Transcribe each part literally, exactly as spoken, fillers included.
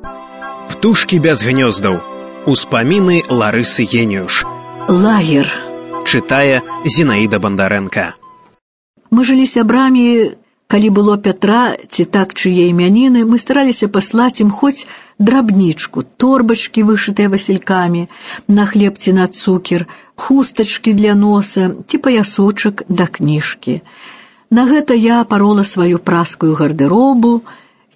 Птушкі без гнёздаў. Успаміны Ларысы Геніюш. Лагер. Чытае Зінаіда Бандарэнка. Мы жылі сябрамі, калі было Пятра ці так чые імяніны, мы стараліся паслаць ім хоць драбнічку, торбачкі, вышытыя васількамі, на хлеб ці на цукер, хустачкі для носа ці паясочак да кніжкі. На гэта я парола сваю праскую гардэробу,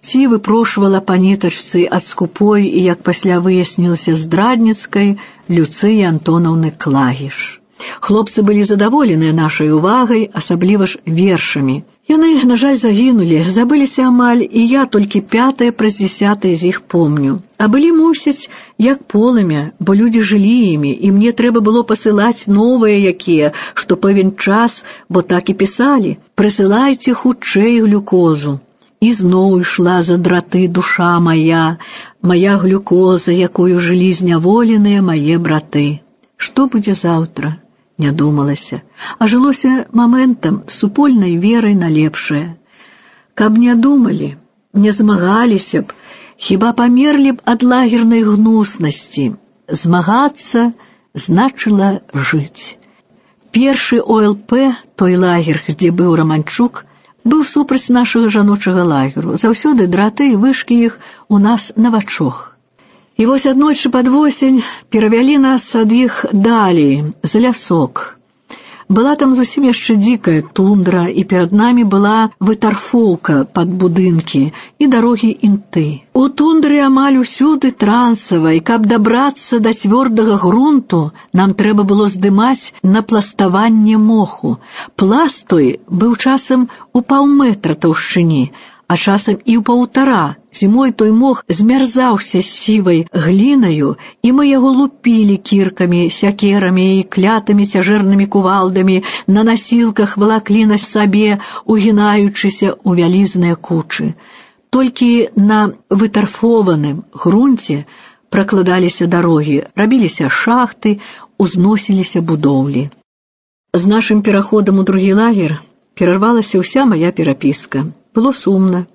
ці выпрошвала па нітачцы ад скупой і, як пасля выяснілася, здрадніцкай Люцыі Антонаўны Клагіш. Хлопцы былі задаволеныя нашай увагай, асабліва ж вершамі. Яны, на жаль, загінулі, забыліся амаль, і я толькі пятае праз дзесятае з іх помню. А былі, мусіць, як полымя, бо людзі жылі імі, і мне трэба было пасылаць новыя якія, што пэўен час, бо так і пісалі: «Прысылайце хутчэй глюкозу». І зноў ішла за драты душа мая, мая глюкоза, якою жылі зняволеныя мае браты. Што будзе заўтра? Не думалася, а жылося моментам, супольнай верай на лепшае. Каб не думалі, не змагаліся б, хіба памерлі б ад лагернай гнуснасці. Змагацца значыла жыць. Першы О Л П, той лагер, дзе быў Раманчук, быў супраць нашага жаночага лагеру. Заўсёды драты і вышкі іх у нас на вачох. І вось аднойчы пад восень перавялі нас ад іх далей, за лясок. Была там зусім яшчэ дзікая тундра, і перад намі была вытарфоўка пад будынкі і дарогі інты. У тундры амаль усюды трансава, і каб дабрацца да цвёрдага грунту, нам трэба было здымаць на пластаванне моху. Пласт той быў часам у паўметра таўшчыні, а часам і ў паўтара. Зімой той мох змярзаўся сівай глінаю, і мы яго лупілі кіркамі, сякерамі і клятымі цяжэрнымі кувалдамі, на насілках валаклі на сабе, угінаючыся ў вялізныя кучы. Толькі на вытарфованым грунце пракладаліся дарогі, рабіліся шахты, узносіліся будоўлі. З нашым пераходам у другі лагер перарвалася ўся мая перапіска. Было сумна.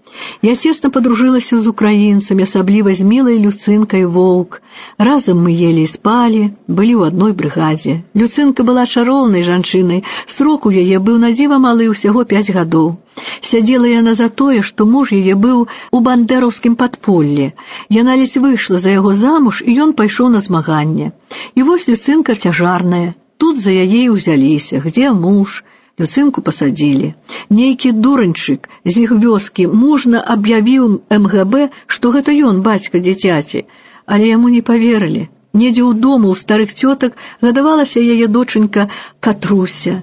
Я цесна падружылася з украінцамі, асабліва з мілай Люцынкай Воўк. Разам мы елі і спалі, былі ў адной брыгадзе. Люцынка была чароўнай жанчынай, срок у яе быў надзіва малы, усяго пяць гадоў. Сядзела яна за тое, што муж яе быў у бандэраўскім падполлі. Яна ледзь выйшла за яго замуж, і ён пайшоў на змаганне. І вось Люцынка цяжарная. Тут за яе і ўзяліся. Где муж? Люцынку пасадзілі. Нейкі дураньчык з іх вёскі мужна аб'явіў эм гэ бэ, што гэта ён, бацька дзіцяці, але яму не паверылі. Недзе ў дому ў старых цётак гадавалася яе дочанька Катруся.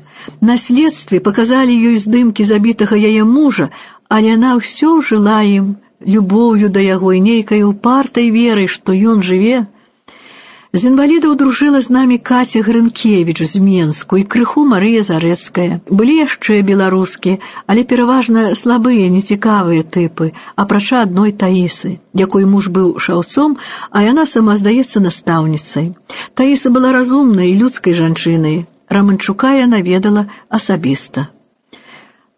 На следстве паказалі ёй здымкі забітага яе мужа, але яна ўсё жыла ім любоўю да яго і нейкай упартай верай, што ён жыве. З інвалідаў дружыла з намі Каця Грынкевіч з Менску і крыху Марыя Зарэцкая. Былі яшчэ беларускі, але пераважна слабыя, нецікавыя тыпы, апрача адной Таісы, якой муж быў шаўцом, а яна сама, здаецца, настаўніцай. Таіса была разумнай і людскай жанчынай. Раманчука яна ведала асабіста.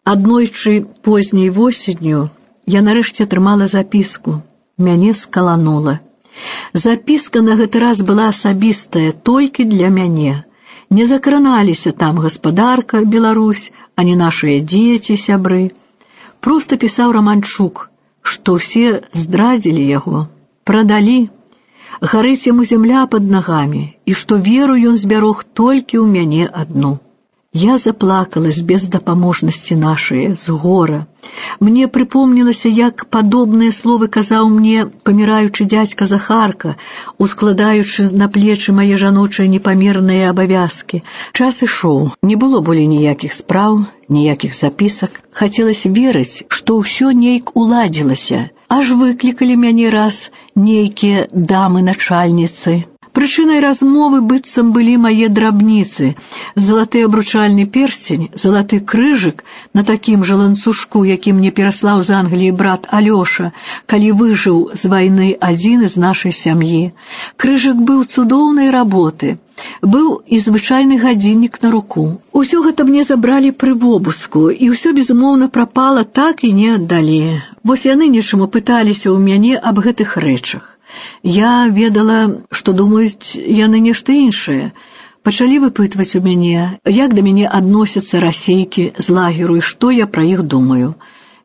Аднойчы позняй восенню я нарэшце атрымала запіску. Мяне скаланула. Запіска на гэты раз была асабістая толькі для мяне. Не закраналіся там гаспадарка, Беларусь, ані нашыя дзеці, сябры. Проста пісаў Раманчук, што ўсе здрадзілі яго, прадалі, гарыць яму зямля пад нагамі, і што веру ён збярог толькі ў мяне адну. Я заплакала з бездапаможнасці нашае, з гора. Мне прыпомнілася, як падобныя словы казаў мне паміраючы дзядзька Захарка, ускладаючы на плечы мае жаночыя непамерныя абавязкі. Час ішоў, не было болей ніякіх спраў, ніякіх запісак. Хацелася верыць, што ўсё нейк уладзілася. Аж выклікалі мяне раз нейкія дамы-начальніцы. Прычынай размовы быццам былі мае драбніцы. Залаты абручальны перстень, залаты крыжык на такім жа ланцужку, які мне пераслаў з Англіі брат Алёша, калі выжыў з вайны адзін з нашай сям'і. Крыжык быў цудоўнай работы. Быў і звычайны гадзіннік на руку. Усё гэта мне забралі пры вобыску, і ўсё, безумоўна, прапала, так і не аддалі. Вось яны нечаму пыталіся ў мяне аб гэтых рэчах. Я ведала, што думаюць яны нешта іншае. Пачалі выпытваць у мяне, як да мяне адносяцца расейкі з лагеру і што я пра іх думаю.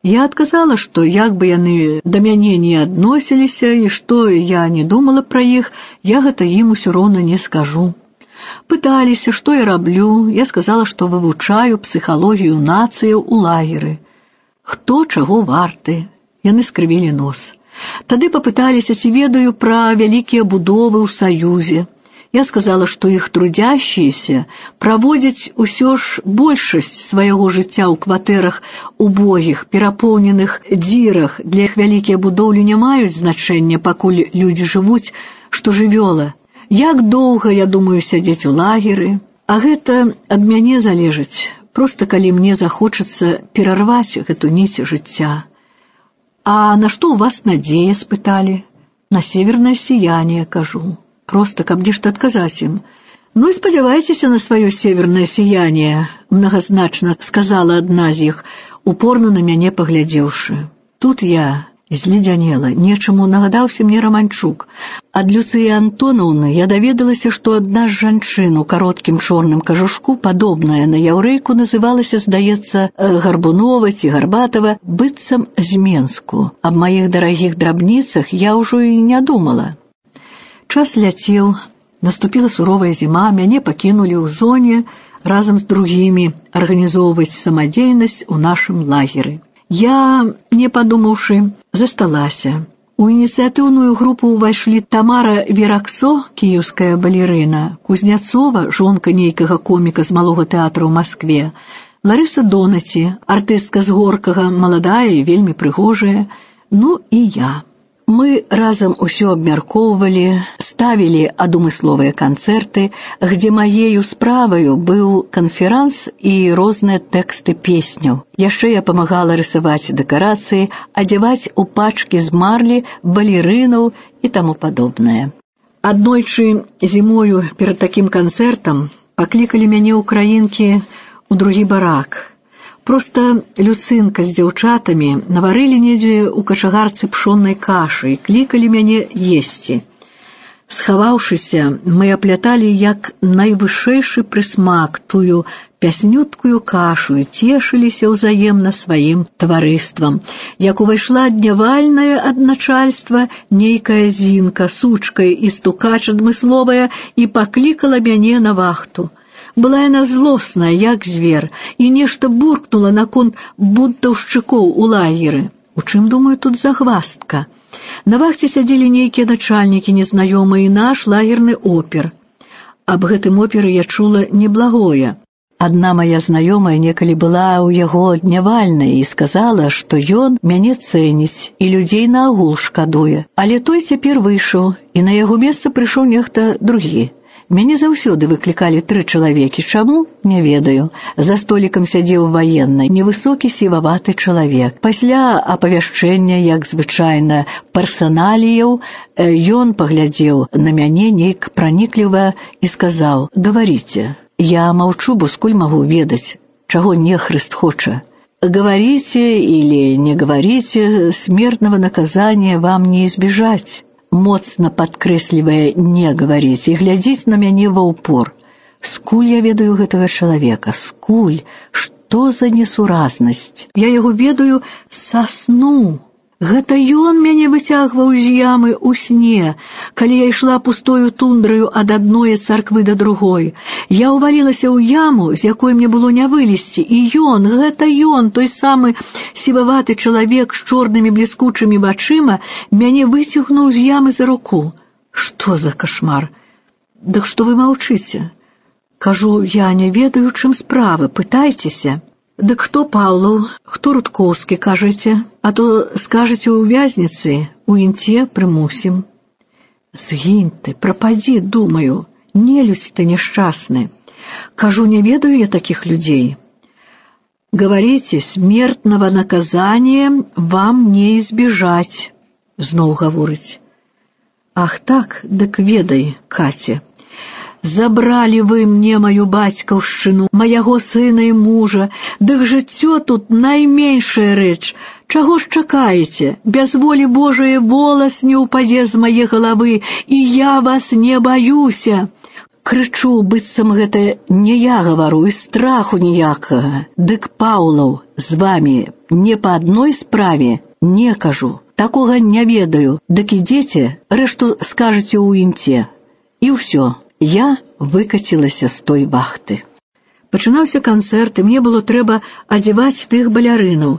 Я адказала, што як бы яны да мяне не адносіліся і што я не думала пра іх, я гэта ім усё роўна не скажу. Пыталіся, што я раблю, я сказала, што вывучаю псіхалогію нацыяў у лагеры. Хто чаго варты? Яны скрывілі нос. Тады папыталіся, ці ведаю пра вялікія будовы ў Саюзе. Я сказала, што іх трудящіеся праводзяць усё ж большасць свайго жыцця ў кватэрах убогіх, перапоўненых дзірах. Для іх вялікія будоўлі не маюць значэння, пакуль людзі жывуць, што жывёла. Як доўга я думаю сядзець у лагеры? А гэта ад мяне залежыць, проста калі мне захочацца перарваць гэту ніць жыцця. А на што ў вас надзея, спыталі? На севернае сияние, кажу. Просто каб нешта адказаць ім. Ну і спадзявайцеся на сваё севернае сияние, мнагазначна сказала адна з іх, упорна на мяне паглядзеўшы. Тут я зледзянела, нечаму нагадаўся мне Раманчук. Ад Люцыі Антонаўны я даведалася, што адна з жанчын у кароткім чорным кажушку, падобная на яўрэйку, называлася, здаецца, Гарбунова ці Гарбатова, быццам з Менску. Аб маіх дарагіх драбніцах я ўжо і не думала. Час ляцеў, наступіла суровая зіма, мяне пакінулі ў зоне разам з другімі арганізоўваць самадзейнасць у нашым лагеры. Я, не падумаўшы, засталася. У ініцыятыўную групу ўвайшлі Тамара Вераксо, кіеўская балерына, Кузняцова, жонка нейкага коміка з малога тэатра ў Маскве, Ларыса Донаці, артыстка з Горкага, маладая і вельмі прыгожая, ну і я. Мы разам усё абмяркоўвалі, ставілі адумысловыя канцэрты, где маею справаю быў канферанс і розныя тэксты песняў. Яшчэ я памагала рысаваць дэкарацыі, адзяваць у пачкі з марлі балерынаў і таму падобнае. Аднойчы зімою перад такім канцэртам паклікалі мяне ўкраінкі ў другі барак. Проста Люцынка з дзяўчатамі наварылі недзе ў качагарцы пшоннай кашы і клікалі мяне есці. Схаваўшыся, мы апляталі як найвышэйшы прысмак тую пяснюткую кашу і цешыліся ўзаемна сваім таварыствам. Як увайшла днявальнае ад начальства нейкая зінка, сучка і стукач адмысловая, і паклікала мяне на вахту. Была яна злосная, як звер, і нешта буркнула наконт бунтаўшчыкоў у лагеры. У чым, думаю, тут загваздка? На вахце сядзелі нейкія начальнікі незнаёмыя і наш лагерны опер. Аб гэтым оперы я чула неблагое. Адна мая знаёмая некалі была ў яго днявальнай і сказала, што ён мяне цэніць і людзей наогул шкадуе. Але той цяпер выйшаў, і на яго месца прыйшоў нехта другі. Мяне заўсёды выклікалі тры чалавекі. Чаму? Не ведаю. За столікам сядзеў ваенны, невысокі сіваваты чалавек. Пасля апавяшчэння, як звычайна, персаналіяў, ён паглядзеў на мяне нейк пранікліва і сказаў: «Гаварыце». Я маўчу, бо скуль магу ведаць, чаго нехрыст хоча. Говорите или не говорите, смертного наказания вам не избежать. Моцна падкрэслівае «не гаварыць» і глядзіць на мяне ва ўпор. Скуль я ведаю гэтага чалавека? Скуль? Што за несуразнасць? Я яго ведаю са сну. Гэта ён мяне выцягваў з ямы ў сне, калі я ішла пустою тундраю ад адной царквы да другой. Я ўвалілася ў яму, з якой мне было не вылезці, і ён, гэта ён, той самы сіваваты чалавек з чорнымі бліскучымі вачыма, мяне выцягнуў з ямы за руку. Што за кашмар? Дык што вы маўчыце? Кажу, я не ведаю, чым справа, пытайцеся. Дык хто Паўлаў, хто Рудкоўскі, кажаце? А то скажаце ў вязніцы, у інце прымусім. Згінь ты, прападзі, думаю, нелюдзь ты няшчасны. Кажу, не ведаю я такіх людзей. Говорите, смертного наказания вам не избежать, зноў гаворыць. Ах так, дык ведай, Катя. Забралі вы мне маю бацькаўшчыну, маяго сына і мужа, дык жыццё тут найменшая рэч. Чаго ж чакаеце? Без волі Божае волас не ўпадзе з мае галавы, і я вас не баюся. Крычу, быццам гэта не я гавару, і страху ніякага. Дык Паўлаў з вамі не па адной справе не кажу. Такога не ведаю, дык ідзеце, рэшту скажаце ў інце. І ўсё. Я выкацілася з той вахты. Пачынаўся канцэрт, і мне было трэба адзяваць тых балярынаў.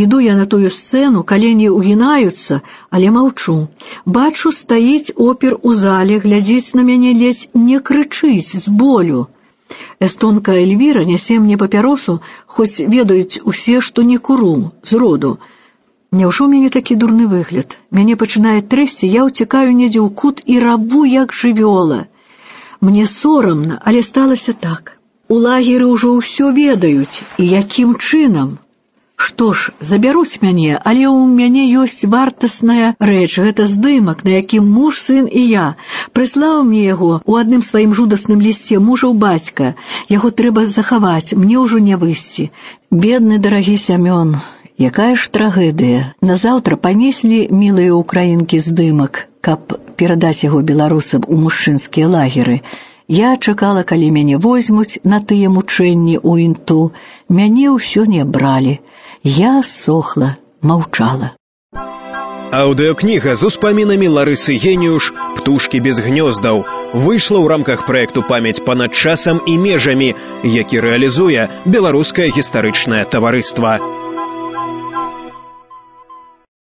Іду я на тую сцэну, калені ўгінаюцца, але маўчу. Бачу, стаіць опер у зале, глядзіць на мяне, ледзь не крычыць з болю. Эстонка Эльвіра нясе мне папяросу, хоць ведаюць усе, што не куру, зроду. Няўжо ў мяне такі дурны выгляд? Мяне пачынае трэсці, я ўцякаю недзе ў кут і рабу, як жывёла. Мне сорамна, але сталася так. У лагеры ўжо ўсё ведаюць, і якім чынам? Што ж, забяруць мяне, але ў мяне ёсць вартасная рэч, гэта здымак, на якім муж, сын і я. Прыслаў мне яго ў адным сваім жудасным лісце мужаў бацька. Яго трэба захаваць, мне ўжо не выйсці. Бедны дарагі Сямён, якая ж трагедыя. Назаўтра панеслі мілыя ўкраінкі здымак, каб перадаць яго беларусам у мужчынскія лагеры. Я чакала, калі мяне возьмуць на тыя мучэнні ў інту. Мяне ўсё не бралі. Я сохла, маўчала. Аўдыёкніга з успамінамі Ларысы Геніюш «Птушкі без гнёздаў» выйшла ў рамках праекту «Памяць панад часам і межамі», які рэалізуе Беларускае гістарычнае таварыства.